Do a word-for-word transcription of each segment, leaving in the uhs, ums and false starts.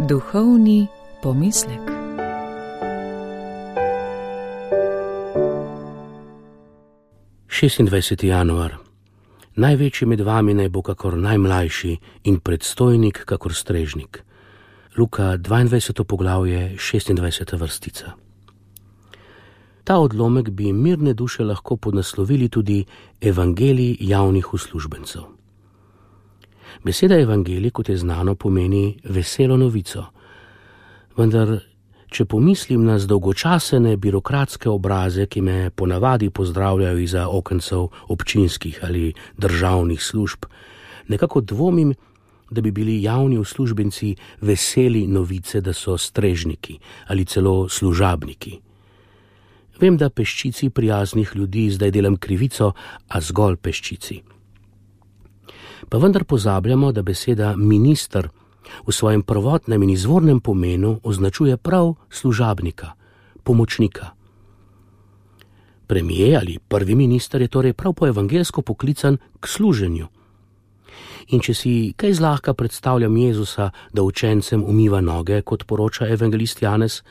Duhovni pomislek. šestindvajseti januar. Največji med vami naj bo kakor najmlajši in predstojnik kakor strežnik. Luka dvaindvajseto poglavje, šestindvajseta vrstica. Ta odlomek bi mirne duše lahko podnaslovili tudi Evangelij javnih uslužbencev. Beseda evangelij, kot je znano, pomeni veselo novico. Vendar, če pomislim na zdolgočasene birokratske obraze, ki me ponavadi pozdravljajo iza okencev občinskih ali državnih služb, nekako dvomim, da bi bili javni uslužbenci veseli novice, da so strežniki ali celo služabniki. Vem, da peščici prijaznih ljudi zdaj delam krivico, a zgolj peščici. Pa vendar pozabljamo, da beseda minister v svojem prvotnem in izvornem pomenu označuje prav služabnika, pomočnika. Premier ali prvi minister je torej prav po evangelsko poklican k služenju. In če si kaj zlahka predstavljam Jezusa, da učencem umiva noge, kot poroča evangelist Janez,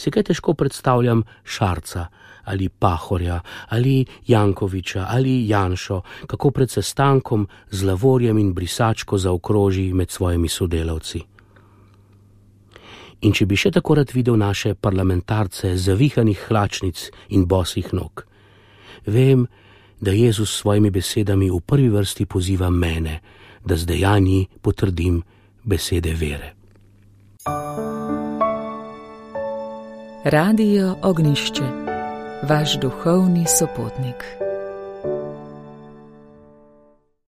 si kaj težko predstavljam Šarca ali Pahorja ali Jankoviča ali Janšo, kako pred sestankom z lavorjem in brisačko zaokroži med svojimi sodelavci. In če bi še tako rad videl naše parlamentarce zavihanih hlačnic in bosih nog, vem, da Jezus s svojimi besedami v prvi vrsti poziva mene, da z dejanji potrdim besede vere. Radio Ognjišče, vaš duhovni sopotnik.